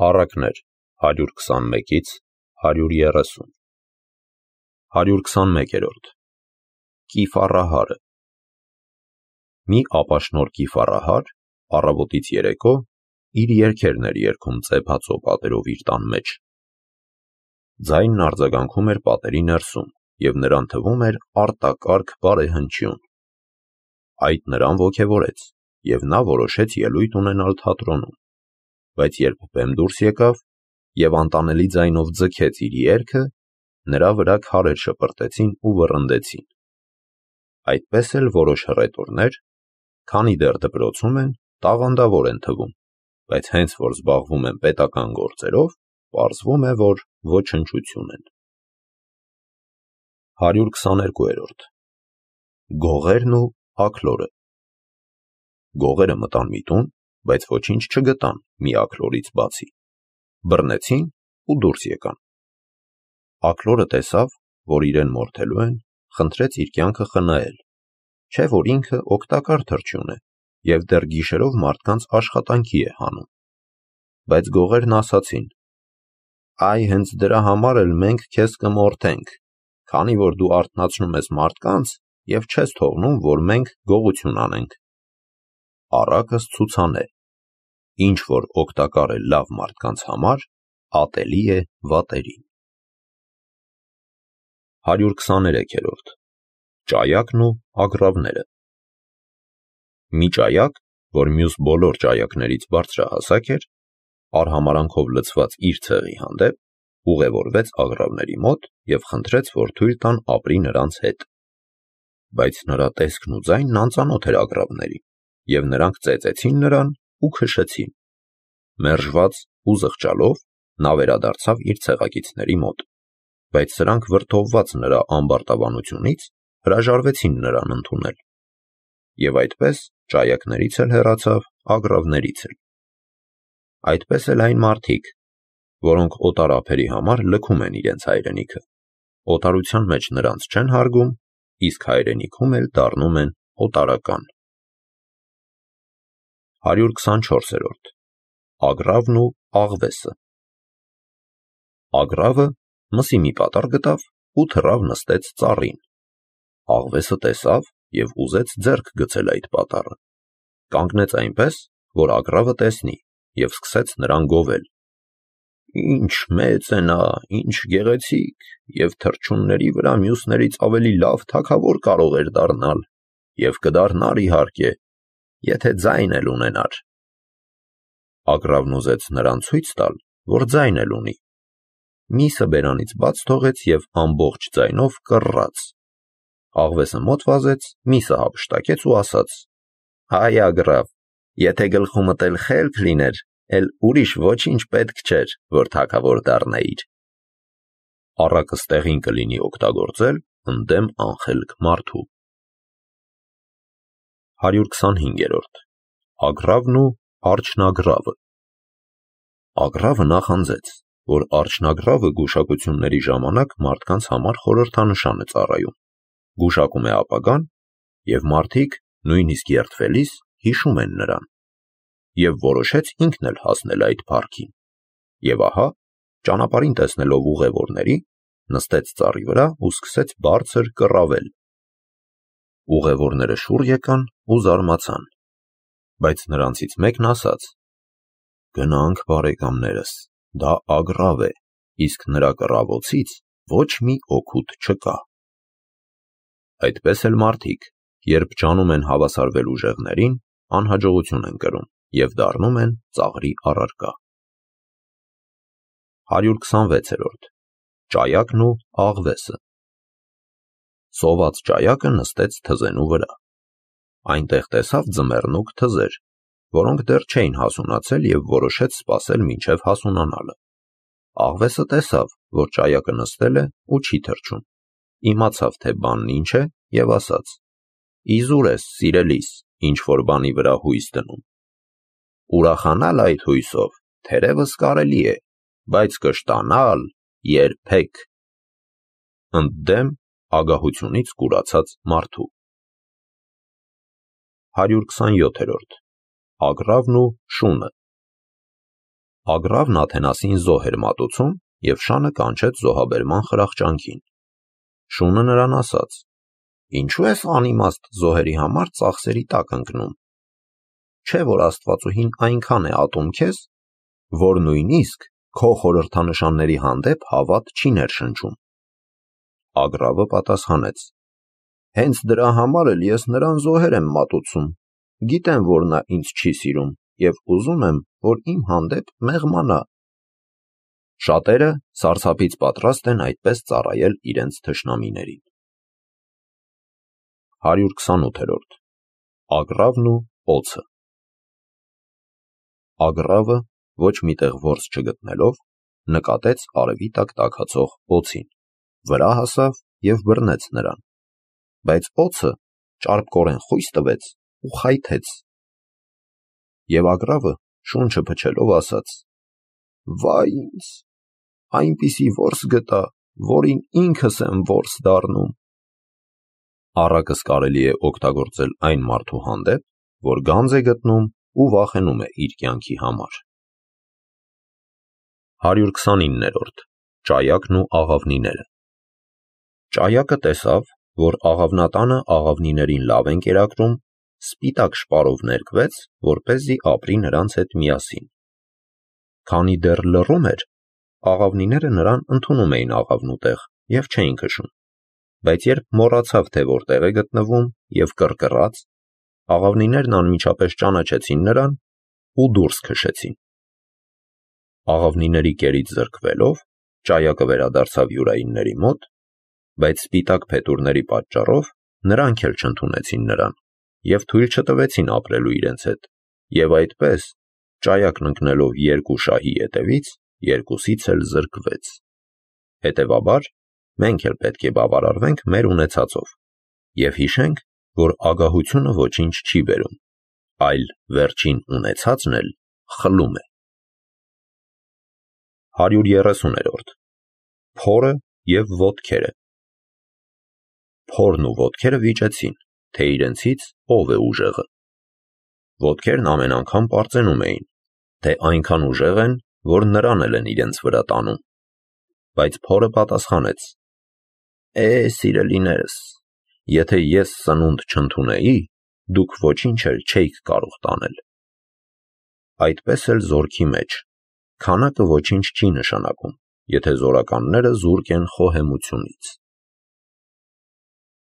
Առակներ 121-ից 130 121-րդ Կիֆառահարը Մի ապաշնոր կիֆառահար առավոտից երեկո իր երգերն էր երգում ծեփածո պատերով իր տան մեջ։ Ձայնն արձագանքում էր պատերի ներսում և նրան թվում էր արտակարգ բարեհնչյուն։ Այդ նրան ոգևորեց և նա որոշեց ելույթ ունենալ թատրոնում, բայց երբ բեմ դուրս եկավ և անտանելի ձայնով ձգեց իր երգը, նրա վրա քարեր շպրտեցին ու վռնդեցին։ Այդպես էլ որոշ հռետորներ, քանի դեռ դպրոցում են, տաղանդավոր են թվում, բայց հենց որ զբաղվում են պետական գործերով, պարզվում է, որ ոչնչություն են։ 122-րդ Գողերն ու աքլորը Գողերը մտան մի տուն, բայց ոչինչ չգտան մի աքլորից բացի։ Բռնեցին ու դուրս եկան։ Աքլորը տեսավ, որ իրեն մորթելու են, խնդրեց իր կյանքը խնայել, չէ որ ինքը օգտակար թռչյուն է և դեռ գիշերով մարդկանց աշխատանքի է հանում։ Բայց գողերն ասացին. «Այ հենց դրա համար էլ մենք քեզ կմորթենք, քանի որ դու արթնացնում ես մարդկանց և չես թողնում, որ մենք գողություն անենք»։ Առակս ցուցանե. ինչ որ օգտակար է լավ մարդկանց համար, ատելի է վատերին։ 123-րդ Ճայակն ու ագռավները Մի ճայակ, որ մյուս բոլոր ճայակներից բարձրահասակ էր, արհամարանքով լցված իր ցեղի հանդեպ, ուղևորվեց ագռավների մոտ և խնդրեց, որ թույլ տան ապրի նրանց հետ։ Բայց նրա տեսքն ու ձայնն անծանոթ էր ագռավներին, և նրանք ծեծեցին նրան ու քշեցին։ Մերժված ու զղջալով նա վերադարձավ իր ցեղակիցների մոտ, բայց սրանք վրդովված նրա ամբարտավանությունից հրաժարվեցին նրան ընդունել։ Եվ այդպես ճայակներից էլ հեռացավ, ագռավներից էլ։ Այդպես էլ այն մարդիկ, որոնք օտար ափերի համար լքում են իրենց հայրենիքը, օտարության մեջ նրանց չեն հարգում, իսկ հայրենիքում էլ դառնում են օտարական։ 124-րդ Ագռավն ու աղվեսը Ագռավը մսի մի պատառ գտավ ու թռավ նստեց ծառին։ Աղվեսը տեսավ և ուզեց ձեռք գցել այդ պատառը։ Կանգնեց այնպես, որ ագռավը տեսնի, և սկսեց նրան գովել. «Ինչ մեծ է նա, ինչ գեղեցիկ, և թռչունների վրա մյուսներից ավելի լավ թագավոր կարող էր դառնալ, և կդառնար իհարկե, եթե ձայն էլ ունենար»։ Ագռավն ուզեց նրան ցույց տալ, որ ձայն էլ ունի։ Միսը բերանից բաց թողեց և ամբողջ ձայնով կռաց։ Աղվեսը մոտ վազեց, միսը հափշտակեց ու ասաց. «Հայ ագռավ, եթե գլխումդ էլ խելք լիներ, էլ ուրիշ ոչինչ պետք չէր, որ թագավոր դառնայիր»։ Առակը ստեղին կլինի օգտագործել ընդդեմ անխելք մարդու։ 125-րդ Ագռավն ու արջնագռավը Ագռավը նախանձեց, որ արջնագռավը գուշակությունների ժամանակ մարդկանց համար խորհրդանշան է ծառայում, գուշակում է ապագան, և մարդիկ, նույնիսկ երդվելիս, հիշում են նրան, և որոշեց ինքն էլ հասնել այդ փառքին։ Եվ ահա, ճանապարհին տեսնելով ուղևորների, նստեց ծառի վրա ու սկսեց բարձր կռավել։ Ուղևորները շուռ եկան ու զարմացան, բայց նրանցից մեկն ասաց. «Գնանք, բարեկամներս, դա ագռավ է, իսկ նրա կռավոցից ոչ մի օգուտ չկա»։ Այդպես էլ մարդիկ, երբ ջանում են հավասարվել ուժեղներին, անհաջողություն են կրում և դառնում են ծաղրի առարկա։ 126-րդ Ճայակն ու աղվեսը Սոված ճայակը նստեց թզենու վրա։ Այնտեղ տեսավ ձմեռնուկ թզեր, որոնք դեռ չէին հասունացել և որոշեց սպասել մինչև հասունանալը։ Աղվեսը տեսավ, որ ճայակը նստել է ու չի թռչում, իմացավ, թե բանն ինչ է, և ասաց. «Իզուր ես, սիրելիս, ինչ-որ բանի վրա հույս դնում։ Ուրախանալ այդ հույսով թերևս կարելի է, բայց կշտանալ երբեք»։ Ընդդեմ ագահությունից կուրացած մարդու։ 127-րդ Ագռավն ու շունը Ագրավն Աթենասին զոհ էր մատուցում և շանը կանչեց զոհաբերման խրախճանքին։ Շունը նրան ասաց. «Ինչու ես անիմաստ զոհերի համար ծախսերի տակ ընկնում։ Չէ՞ որ Աստվածուհին այնքան է ատում քեզ, որ նույնիսկ քո խորհրդանշանների հանդեպ հավատ չի ներշնչում»։ Ագրավը պատասխանեց. «Հենց դրա համար էլ ես նրան զոհեր եմ մատուցում, գիտեմ, որ նա ինձ չի սիրում և ուզում եմ, որ իմ հանդեպ մեղմանա»։ Շատերը սարսափից պատրաստ են այդպես ծառայել իրենց թշնամիներին։ 128-րդ Ագրավն ու օձը։ Ագրավը, ոչ մի տեղ որս չգտնելով, նկատեց արևի տակ տաքացող օձին, վրա հասավ և բռնեց նրան, բայց օձը ճարպկորեն խույս տվեց ու խայթեց։ Եվ Ագրավը շունչը փչելով ասաց. «Վայ ինձ, այնպիսի որս գտա, որին ինքս եմ որս դառնում»։ Առակս կարելի է օգտագործել այն մարդու հանդեպ, որ գանձ է գտնում ու վախենում է իր կյանքի համար։ 129-րդ Ճայակն ու աղավնիները։ Ճայակը տեսավ, որ աղավնատանը աղավնիներին լավ են կերակրում, սպիտակ շպարով ներկվեց, որպեսզի ապրի նրանց հետ միասին։ Քանի դեռ լռում էր, աղավնիները նրան ընդունում էին աղավնու տեղ և չէին քշում, բայց երբ մոռացավ, թե որտեղ է գտնվում և կռկռաց, աղավնիներն անմիջապես ճանաչեցին նրան ու դուրս քշեցին։ Աղավնիների կերից զրկվելով, ճայակը վերադարձավ յուրայինների մոտ, բայց սպիտակ փետուրների պատճառով նրանք էլ չընդունեցին նրան և թույլ չտվեցին ապրելու իրենց հետ, և այդպես, ճայակն ընկնելով երկու շահի ետևից, երկուսից էլ զրկվեց։ Հետևաբար, մենք էլ պետք է բավարարվենք մեր ունեցածով և հիշենք, որ ագահությունը ոչինչ չի բերում, այլ վերջին ունեցածն էլ խլում է։ 130-րդ Փորը և ոտքերը։ Փորն ու ոտքերը վիճեցին, թե իրենցից ով է ուժեղը։ Ոտքերն ամեն անգամ պարծենում էին, թե այնքան ուժեղ են, որ նրան էլ են իրենց վրա տանում։ Բայց փորը պատասխանեց. սիրելիներս, եթե ես սնունդ չընդունեի, դուք ոչինչ էլ չէիք կարող տանել։ Այդպես էլ զորքի մեջ քանակը ոչինչ չի նշանակում, եթե զորականները զուրկ են խոհեմությունից։